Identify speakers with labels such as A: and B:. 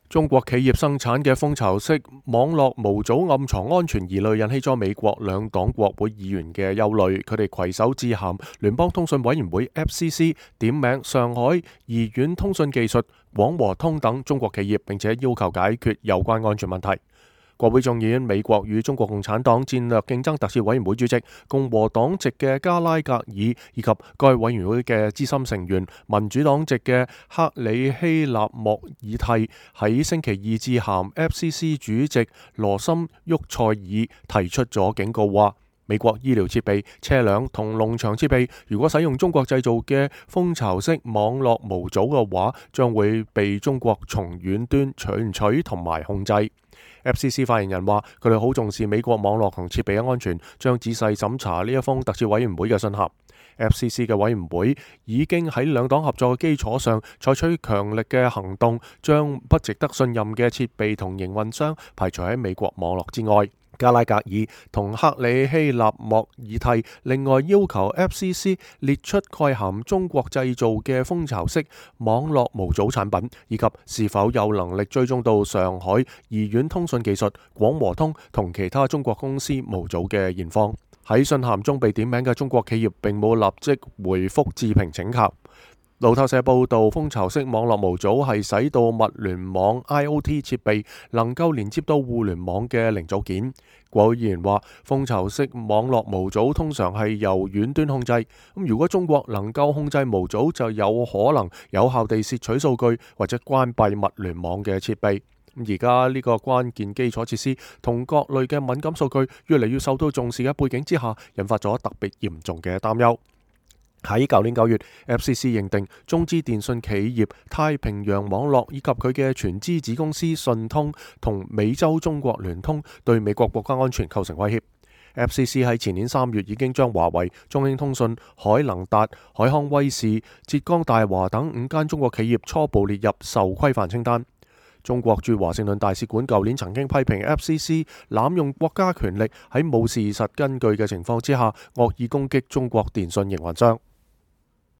A: 中國企業生產嘅蜂巢式網絡模組暗藏安全疑慮，引起咗美國兩黨國會議員嘅憂慮。佢哋攜手致函聯邦通訊委員會 FCC， 點名上海怡苑通訊技術、廣和通等中國企業，並且要求解決有關安全問題。國會眾議院美國與中國共產黨戰略競爭特設委員會主席、共和黨籍嘅加拉格爾，以及該委員會嘅資深成員民主黨籍嘅克里希納莫爾蒂喺星期二致函 FCC 主席羅森沃塞爾，提出咗警告，話美國醫療設備、車輛同農場設備如果使用中國製造嘅蜂巢式網絡模組嘅話，將會被中國從遠端存取同埋控制。FCC 發言人話：佢哋好重視美國網絡同設備嘅安全，將仔細審查呢一封特設委員會嘅信函。FCC 嘅委員會已經喺兩黨合作嘅基礎上採取強力嘅行動，將不值得信任嘅設備同營運商排除喺美國網絡之外。加拉格爾同克里希納莫爾蒂另外要求 FCC 列出蓋含中國製造嘅蜂巢式網絡模組產品，以及是否有能力追蹤到上海怡苑通訊技術、廣和通同其他中國公司模組嘅現況。喺信函中被點名嘅中國企業並冇立即回覆置評請求。路透社報道，蜂巢式網絡模組係使到物聯網 IoT 設備能夠連接到互聯網嘅零組件。國會議員話，蜂巢式網絡模組通常係由遠端控制，咁如果中國能夠控制模組，就有可能有效地竊取數據或者關閉物聯網嘅設備。而家呢個關鍵基礎設施同各類嘅敏感數據越嚟越受到重視嘅背景之下，引發咗特別嚴重嘅擔憂。喺舊年9月 FCC 認定中資電信企業太平洋網絡以及佢嘅全資子公司信通同美洲中國聯通對美國國家安全構成威脅。FCC 喺前年3月已經將華為、中興通訊、海能達、海康威視、浙江大華等5間中國企業初步列入受規範清單。中國駐華盛頓大使館舊年曾經批評 FCC 濫用國家權力，喺冇事實根據嘅情況之下惡意攻擊中國電信營運商。